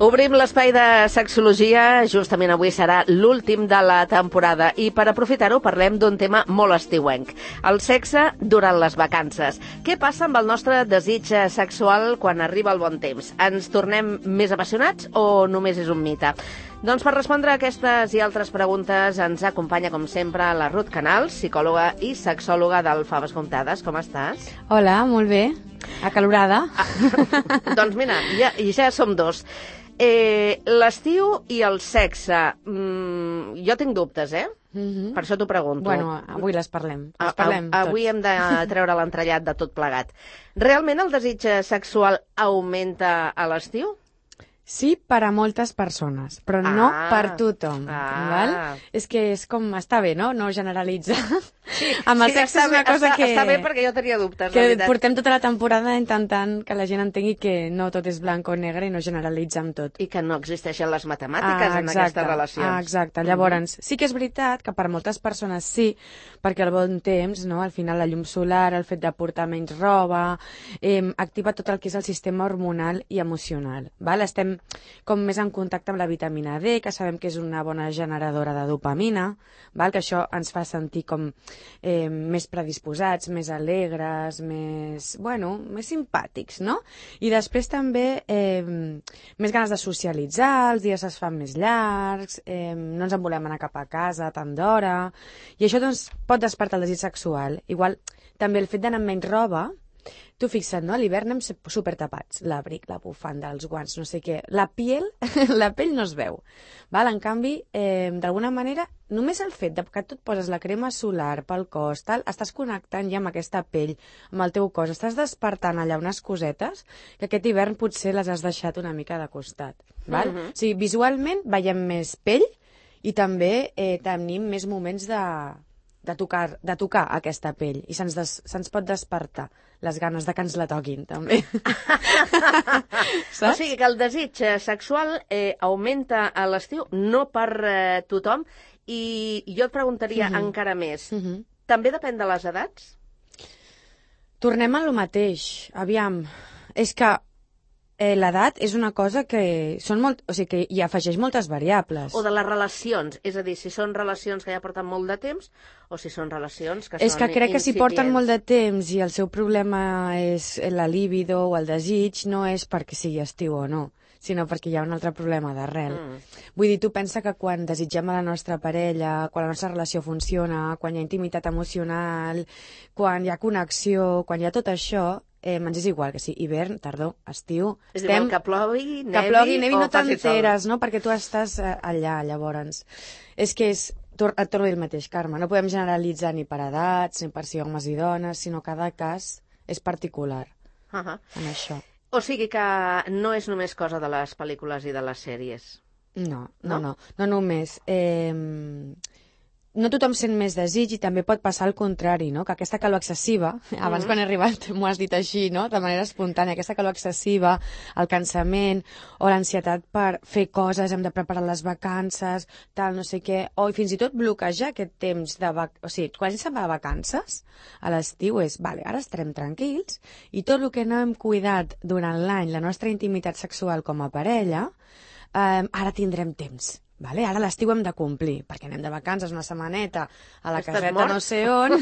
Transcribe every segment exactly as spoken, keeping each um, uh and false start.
Obrim l'espai de sexologia, justament avui serà l'últim de la temporada i per aprofitar-ho parlem d'un tema molt estiuenc, el sexe durant les vacances. Què passa amb el nostre desig sexual quan arriba el bon temps? Ens tornem més apassionats o només és un mite? Doncs per respondre a aquestes i altres preguntes ens acompanya, com sempre, la Ruth Canals, psicòloga i sexòloga del Faves Comptades. Com estàs? Hola, molt bé. Acalorada. Ah, doncs mira, ja, ja som dos. Eh, l'estiu i el sexe. Mm, jo tinc dubtes, eh? Mm-hmm. Per això t'ho pregunto. Bueno, avui les parlem. Les parlem a, a, avui hem de treure l'entrellat de tot plegat. Realment el desig sexual augmenta a l'estiu? Sí, per a moltes persones, però ah, no per tothom. Ah. Val? És que és com, està bé, no? No generalitzar. Sí, amb el sí, sexe és una bé, cosa està, que... Està bé perquè jo tenia dubtes, que la veritat. Portem tota la temporada intentant que la gent entengui que no tot és blanc o negre i no generalitza amb tot. I que no existeixen les matemàtiques ah, en aquestes relacions. Ah, exacte. Llavors, mm-hmm. sí que és veritat que per moltes persones sí, perquè el bon temps, no? Al final la llum solar, el fet de portar menys roba, eh, activa tot el que és el sistema hormonal i emocional. Val? Estem com més en contacte amb la vitamina D, que sabem que és una bona generadora de dopamina, val? Que això ens fa sentir com eh, més predisposats, més alegres, més, bueno, més simpàtics, no? I després també eh, més ganes de socialitzar, els dies es fan més llargs, eh, no ens en volem anar cap a casa tant d'hora, i això doncs pot despertar el desig sexual. Igual també el fet d'anar amb menys roba. Tu fixa't, no? A l'hivern anem supertapats. L'abric, la bufanda, els guants, no sé què. La piel, la pell no es veu. Val? En canvi, eh, d'alguna manera, només el fet de que tu et poses la crema solar pel cos, tal, estàs connectant ja amb aquesta pell, amb el teu cos. Estàs despertant allà unes cosetes que aquest hivern potser les has deixat una mica de costat. Val? Mm-hmm. O sigui, visualment veiem més pell i també eh, tenim més moments de... De tocar, de tocar aquesta pell i se'ns des, se'ns pot despertar les ganes de que ens la toquin, també. O sigui que el desig sexual eh, augmenta a l'estiu, no per eh, tothom, i jo et preguntaria mm-hmm. encara més. Mm-hmm. També depèn de les edats? Tornem a lo mateix. Aviam, és que Eh, l'edat és una cosa que són molt, o sigui, que hi afegeix moltes variables. O de les relacions, és a dir, si són relacions que ja porten molt de temps o si són relacions que és són que crec que si incipients. porten molt de temps i el seu problema és la libido o el desig, no és perquè sigui estiu o no, sinó perquè hi ha un altre problema d'arrel. Mm. Vull dir, tu pensa que quan desitgem a la nostra parella, quan la nostra relació funciona, quan hi ha intimitat emocional, quan hi ha connexió, quan hi ha tot això, eh, ens és igual que sí, hivern, tardor, estiu... És estem... igual que plogui, nevi, que plogui, nevi o no t'enteres, no? Perquè tu estàs eh, allà, llavors. És que és... Et torno a dir el mateix, Carme. No podem generalitzar ni per edats, ni per si homes i dones, sinó cada cas és particular uh -huh. en això. O sigui que no és només cosa de les pel·lícules i de les sèries. No, no, no, no, no només. Eh, no tothom sent més desig i també pot passar al contrari, no? Que aquesta calor excessiva, abans mm-hmm. quan he arribat m'ho has dit així, no? De manera espontània, aquesta calor excessiva, el cansament o l'ansietat per fer coses, hem de preparar les vacances, tal, no sé què, o fins i tot bloquejar aquest temps de vac... O sigui, quan se'n va de vacances, a l'estiu és, vale, ara estarem tranquils i tot el que no hem cuidat durant l'any, la nostra intimitat sexual com a parella, eh, ara tindrem temps. Vale? Ara l'estiu hem de complir, perquè anem de vacances una setmaneta a la Estàs caseta mort? no sé on,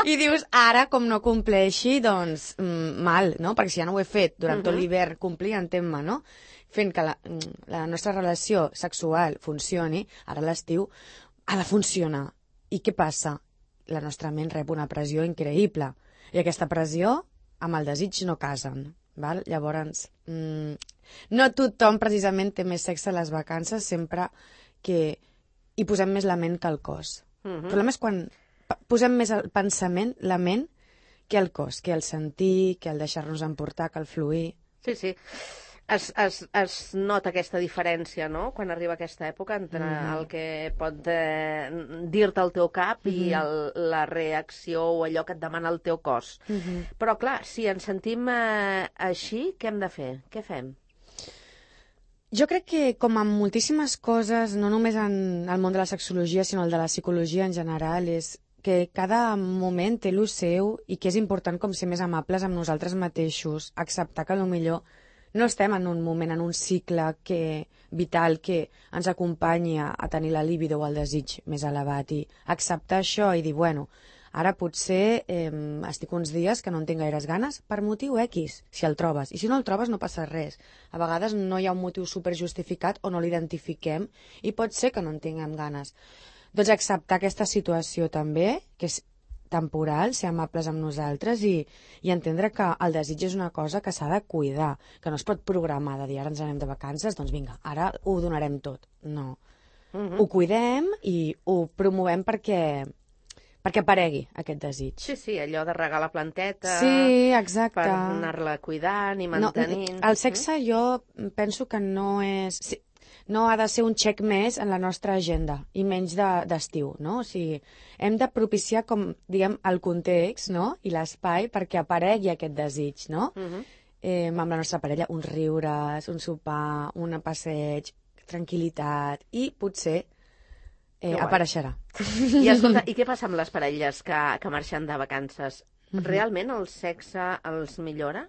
i dius, ara, com no compleixi, doncs, mm, mal, no? Perquè si ja no ho he fet durant uh-huh. tot l'hivern, complir, entén-me, no? Fent que la, la nostra relació sexual funcioni, ara l'estiu ha de funcionar. I què passa? La nostra ment rep una pressió increïble, i aquesta pressió amb el desig no casen. Val? Llavors, mmm, no tothom precisament té més sexe a les vacances, sempre que hi posem més la ment que el cos. Uh-huh. El problema és quan posem més el pensament, la ment, que el cos, que el sentir, que el deixar-nos emportar, que el fluir. Sí, sí. Es, es, es nota aquesta diferència, no?, quan arriba aquesta època entre mm-hmm. el que pot eh, dir-te el teu cap mm-hmm. i el, la reacció o allò que et demana el teu cos. Mm-hmm. Però, clar, si ens sentim eh, així, què hem de fer? Què fem? Jo crec que, com en moltíssimes coses, no només en el món de la sexologia, sinó el de la psicologia en general, és que cada moment té el seu i que és important com ser més amables amb nosaltres mateixos, acceptar que potser no estem en un moment, en un cicle que, vital que ens acompanyi a, a tenir la libido o el desig més elevat i acceptar això i dir, bueno, ara potser eh, estic uns dies que no en tinc gaires ganes per motiu X, si el trobes. I si no el trobes no passa res. A vegades no hi ha un motiu superjustificat o no l'identifiquem i pot ser que no en tinguem ganes. Doncs acceptar aquesta situació també, que és temporal, ser amables amb nosaltres i, i entendre que el desig és una cosa que s'ha de cuidar, que no es pot programar de dir ara ens anem de vacances, doncs vinga, ara ho donarem tot. No. Uh-huh. Ho cuidem i ho promovem perquè, perquè aparegui aquest desig. Sí, sí, allò de regar la planteta... Sí, exacte. Per anar-la cuidant i mantenint... No, el sexe jo penso que no és... Sí, no ha de ser un xec més en la nostra agenda, i menys d'estiu, de, no? O sigui, hem de propiciar, com, diguem, el context, no?, i l'espai perquè aparegui aquest desig, no? Uh-huh. eh, amb la nostra parella, uns riures, un sopar, un passeig, tranquil·litat, i potser eh, apareixerà. I, escolta, i què passa amb les parelles que, que marxen de vacances? Uh-huh. Realment el sexe els millora?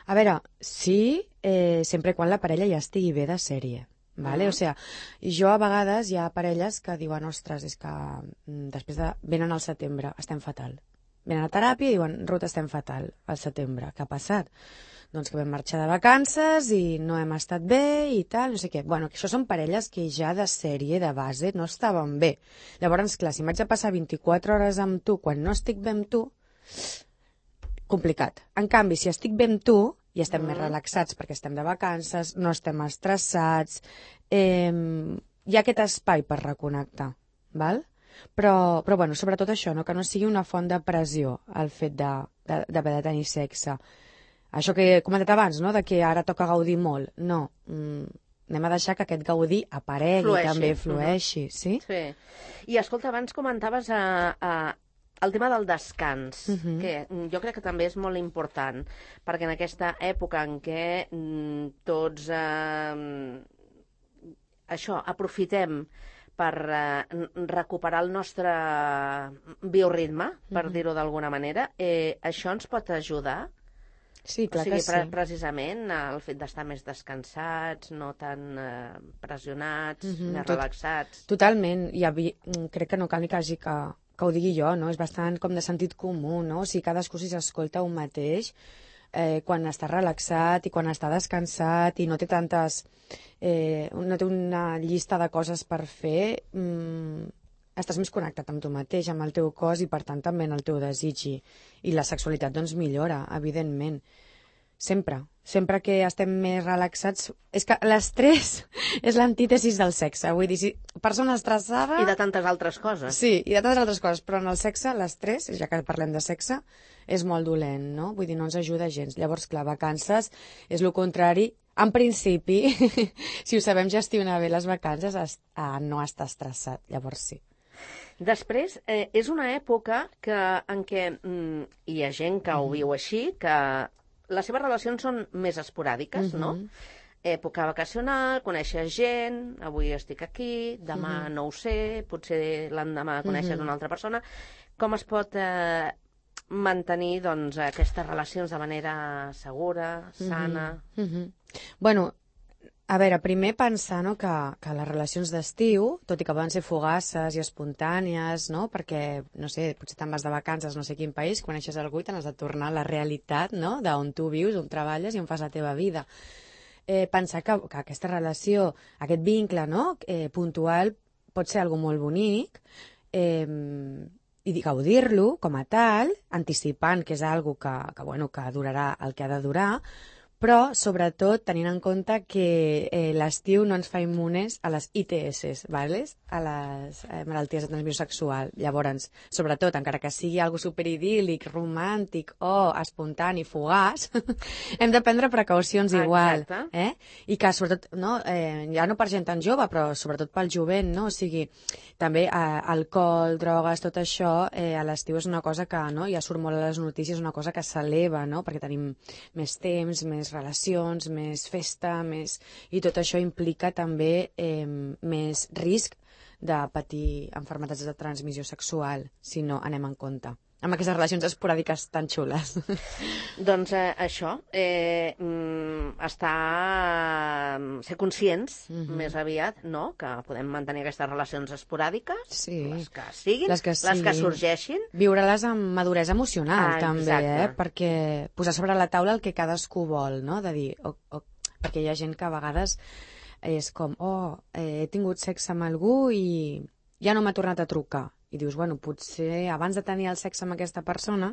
A veure, sí, eh, sempre quan la parella ja estigui bé de sèrie. Vale? Uh-huh. O sigui, jo a vegades hi ha parelles que diuen, ostres, és que mm, després de... venen al setembre, estem fatal. Venen a teràpia i diuen, Ruth, estem fatal al setembre. Què ha passat? Doncs que vam marxar de vacances i no hem estat bé i tal, no sé què. Bueno, que això són parelles que ja de sèrie, de base, no estaven bé. Llavors, clar, si m'haig de passar vint-i-quatre hores amb tu quan no estic bé amb tu, complicat. En canvi, si estic bé amb tu, i estem mm. més relaxats perquè estem de vacances, no estem estressats, eh, hi ha aquest espai per reconnectar, val? Però, però bueno, sobretot això, no? Que no sigui una font de pressió el fet d'haver de, de, de tenir sexe. Això que he comentat abans, no? De que ara toca gaudir molt. No, mm, anem a deixar que aquest gaudir aparegui, flueixi. També flueixi, mm-hmm. sí? Sí. I escolta, abans comentaves a, a el tema del descans, uh-huh. que jo crec que també és molt important, perquè en aquesta època en què mm, tots eh, això, aprofitem per eh, recuperar el nostre bioritme, per uh-huh. dir-ho d'alguna manera, eh, això ens pot ajudar? Sí, clar o sigui, que sí. pre precisament el fet d'estar més descansats, no tan eh, pressionats, uh-huh. més Tot, relaxats... Totalment, i havia, crec que no cal ni que hagi que... que ho digui jo, no? És bastant com de sentit comú, no? O sigui, cadascú si s'escolta un mateix, eh, quan està relaxat i quan està descansat i no té tantes... Eh, no té una llista de coses per fer, mm, estàs més connectat amb tu mateix, amb el teu cos i, per tant, també en el teu desig. I, i la sexualitat, doncs, millora, evidentment. Sempre. Sempre que estem més relaxats... És que l'estrès és l'antítesis del sexe. Vull dir, si persona estressada... I de tantes altres coses. Sí, i de tantes altres coses. Però en el sexe, l'estrès, ja que parlem de sexe, és molt dolent, no? Vull dir, no ens ajuda gens. Llavors, clar, vacances és el contrari. En principi, si ho sabem gestionar bé les vacances, a no estar estressat. Llavors, sí. Després, eh, és una època que, en què mm, hi ha gent que ho viu així, que les seves relacions són més esporàdiques, uh-huh. no? Època vacacional, coneixes gent, avui estic aquí, demà uh-huh. no ho sé, potser l'endemà coneixes uh-huh. una altra persona. Com es pot eh, mantenir doncs, aquestes relacions de manera segura, sana? Uh-huh. Uh-huh. Bueno, a veure, primer pensar, no, que, que les relacions d'estiu, tot i que poden ser fugaces i espontànies, no, perquè, no sé, potser te'n vas de vacances no sé quin país, coneixes algú i te n'has de tornar a la realitat, no?, d'on tu vius, on treballes i on fas la teva vida. Eh, pensar que, que aquesta relació, aquest vincle, no?, eh, puntual, pot ser algo molt bonic, eh, i gaudir-lo com a tal, anticipant que és algo que, que, bueno, que durarà el que ha de durar, però sobretot tenint en compte que eh, l'estiu no ens fa immunes a les I T S, vales? A les eh, malalties de transmissió sexual. Llavors, sobretot, encara que sigui algo superidíl·lic, romàntic o espontani, fugaç, hem de prendre precaucions igual. Exacte. Eh? I que sobretot, no, eh, ja no per gent tan jove, però sobretot pel jovent, no? O sigui, també eh, alcohol, drogues, tot això, eh, a l'estiu és una cosa que, no, ja surt molt a les notícies, una cosa que s'eleva, no? Perquè tenim més temps, més relacions, més festa, més... i tot això implica també eh, més risc de patir malalties de transmissió sexual, si no anem en compte amb aquestes relacions esporàdiques tan xules. Doncs eh, això, eh, estar, ser conscients mm-hmm. més aviat, no?, que podem mantenir aquestes relacions esporàdiques, sí. les que siguin, les que, siguin. les que sorgeixin. Viure-les amb maduresa emocional, ah, també, exacte. eh? Perquè posar sobre la taula el que cadascú vol, no?, de dir, oh, oh, perquè hi ha gent que a vegades és com, oh, eh, he tingut sexe amb algú i ja no m'ha tornat a trucar. I dius, bueno, potser abans de tenir el sexe amb aquesta persona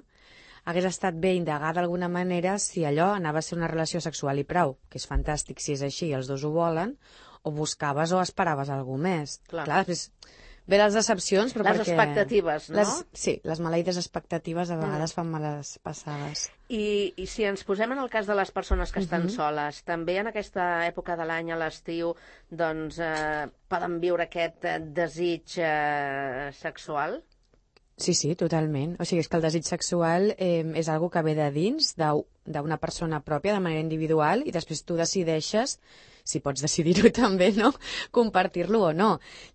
hagués estat bé indagar d'alguna manera si allò anava a ser una relació sexual i prou, que és fantàstic si és així i els dos ho volen, o buscaves o esperaves alguna més. Clar. Clar, després ve les decepcions, però les perquè... Les expectatives, no? Les, sí, les maleïdes expectatives a vegades mm. fan males passades. I, I si ens posem en el cas de les persones que estan uh-huh. soles, també en aquesta època de l'any, a l'estiu, doncs eh, poden viure aquest eh, desig eh, sexual? Sí, sí, totalment. O sigui, és que el desig sexual eh, és algo que ve de dins, d'una persona pròpia, de manera individual, i després tu decideixes, si pots decidir-ho també, no?, compartir-lo o no.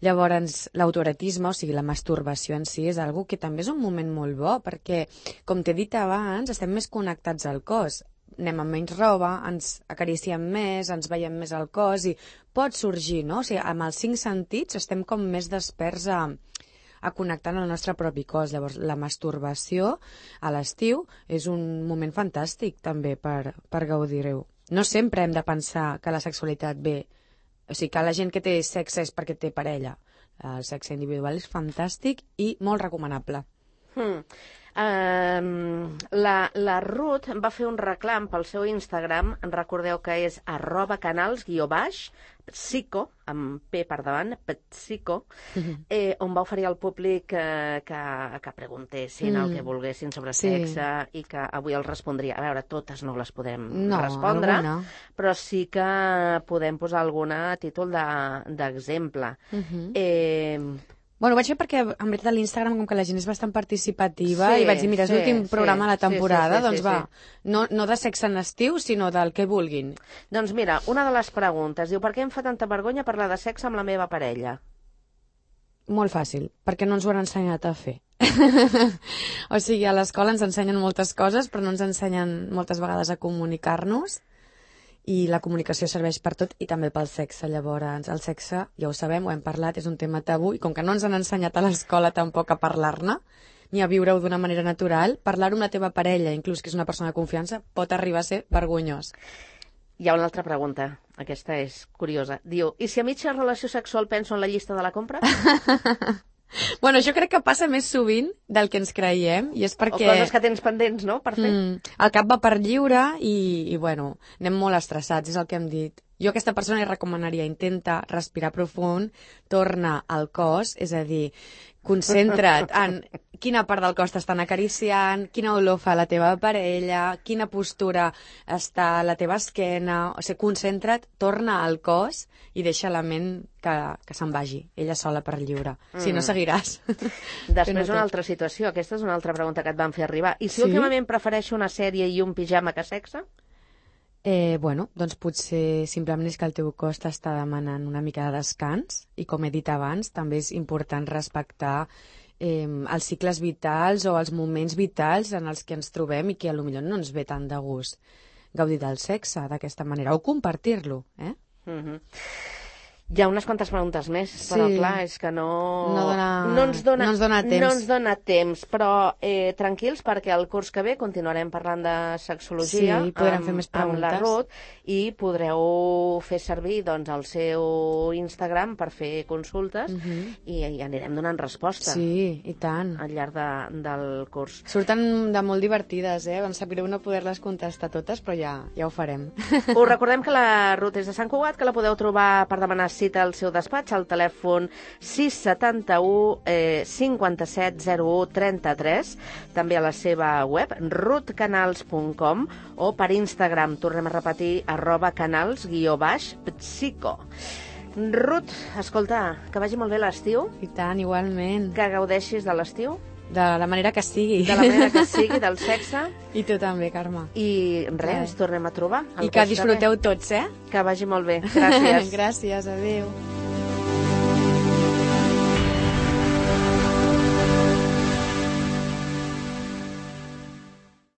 Llavors, l'autoerotisme, o sigui, la masturbació en si, és algo que també és un moment molt bo, perquè, com t'he dit abans, estem més connectats al cos. Anem amb menys roba, ens acariciem més, ens veiem més al cos, i pot sorgir, no? O sigui, amb els cinc sentits estem com més desperts a... a connectar amb el nostre propi cos. Llavors, la masturbació a l'estiu és un moment fantàstic també per, per gaudir-ho. No sempre hem de pensar que la sexualitat ve... O sigui, que la gent que té sexe és perquè té parella. El sexe individual és fantàstic i molt recomanable. Hmm. Um, la, la Ruth va fer un reclam pel seu Instagram, recordeu que és arroba canals guió baix, psico, amb P per davant, psico, eh, on va oferir al públic eh, que, que preguntessin mm. el que volguessin sobre sí. sexe i que avui els respondria. A veure, totes no les podem no, respondre, alguna. Però sí que podem posar alguna a títol d'exemple. De, uh-huh. eh, Bueno, ho vaig fer perquè, en veritat, a l'Instagram, com que la gent és bastant participativa, sí, i vaig dir, mira, és sí, l'últim sí, programa de la temporada, sí, sí, sí, sí, doncs va, sí. no, no de sexe en estiu, sinó del que vulguin. Doncs mira, una de les preguntes, diu, per què em fa tanta vergonya parlar de sexe amb la meva parella? Molt fàcil, perquè no ens ho han ensenyat a fer. O sigui, a l'escola ens ensenyen moltes coses, però no ens ensenyen moltes vegades a comunicar-nos, i la comunicació serveix per tot i també pel sexe. Llavors, el sexe, ja ho sabem, ho hem parlat, és un tema tabú, i com que no ens han ensenyat a l'escola tampoc a parlar-ne, ni a viure-ho d'una manera natural, parlar-ho amb la teva parella, inclús que és una persona de confiança, pot arribar a ser vergonyós. Hi ha una altra pregunta, aquesta és curiosa. Diu, i si a mitja relació sexual penso en la llista de la compra? Bueno, jo crec que passa més sovint del que ens creiem, i és perquè... O coses que tens pendents, no?, per fer. Mm, el cap va per lliure i, i, bueno, anem molt estressats, és el que hem dit. Jo a aquesta persona li recomanaria, intenta respirar profund, torna al cos, és a dir, concentra't en quina part del cos t'estan acariciant, quina olor fa la teva parella, quina postura està a la teva esquena, o sigui, concentra't, torna al cos i deixa la ment que, que se'n vagi, ella sola per lliure. Mm. Si no, seguiràs. Després una altra situació, aquesta és una altra pregunta que et van fer arribar. I si sí? últimament prefereixo una sèrie i un pijama que sexe? Eh, bueno, doncs potser simplement és que el teu cos t'està demanant una mica de descans i, com he dit abans, també és important respectar eh, els cicles vitals o els moments vitals en els que ens trobem i que potser no ens ve tant de gust gaudir del sexe d'aquesta manera o compartir-lo, eh? Mm-hmm. Hi ha unes quantes preguntes més, però Sí. clar, és que no... No dona- no ens dona, no ens dona temps. No ens dona temps, però eh, tranquils, perquè el curs que ve continuarem parlant de sexologia Sí, podrem fer més amb la preguntes. Ruth i podreu fer servir doncs, el seu Instagram per fer consultes Mhm. i, i anirem donant resposta Sí, i tant. al llarg de, del curs. Surten de molt divertides, eh? Em sap greu no poder-les contestar totes, però ja, ja ho farem. Us recordem que la Ruth és de Sant Cugat, que la podeu trobar per demanar cita al seu despatx al telèfon sis setanta u eh, cinquanta-set zero u trenta-tres, també a la seva web ruth canals punt com o per Instagram, tornem a repetir, arroba canals guió baix psico. Ruth, escolta, que vagi molt bé l'estiu, I tant, igualment. que gaudeixis de l'estiu, De la manera que sigui. de la manera que sigui, del sexe, I tu també, Carme. i res, ens tornem a trobar. el I que curs ve. disfruteu tots, eh? Que vagi molt bé. Gràcies. Gràcies, adéu.